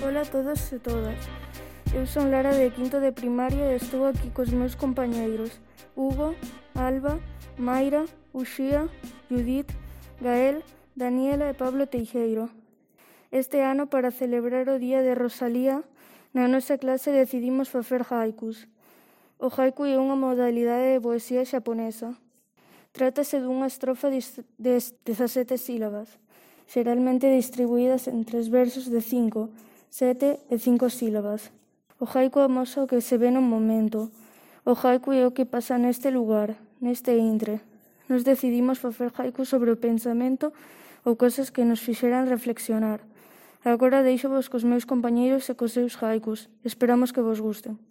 Ola a todos e todas. Eu son Lara de quinto de primaria e estou aquí cos meus compañeiros Hugo, Alba, Mayra, Uxía, Judith, Gael, Daniela e Pablo Teixeiro. Este ano, para celebrar o Día de Rosalía, na nosa clase decidimos facer haikus. O haiku é unha modalidade de poesía xaponesa. Trátase dunha estrofa de 17 sílabas, xeralmente distribuídas en 3 versos de 5, 7 e 5 sílabas. O haiku amosa o que se ve no momento. O haiku é o que pasa neste lugar, neste intre. Nos decidimos facer haiku sobre o pensamento ou cosas que nos fixeran reflexionar. Agora deixo-vos cos meus compañeiros e cos seus haikus. Esperamos que vos gusten.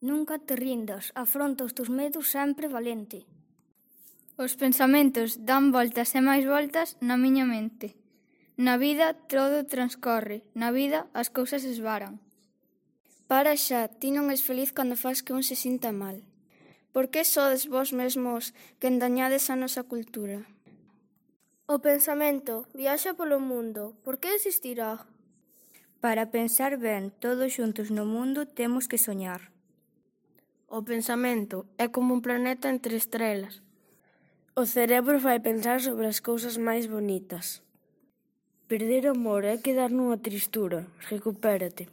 Nunca te rindas, afronta os teus medos sempre valente. Os pensamentos dan voltas e máis voltas na miña mente. Na vida todo transcorre, na vida as cousas esvaran. Para xa, ti non és feliz cando fas que un se sinta mal. Por que sodes vós mesmos que endañades a nosa cultura? O pensamento viaxa polo mundo. Por que existirá? Para pensar ben todos xuntos no mundo temos que soñar. O pensamento é como un planeta entre estrelas. O cerebro vai pensar sobre as cousas máis bonitas. Perder o amor é quedar nunha tristura. Recupérate.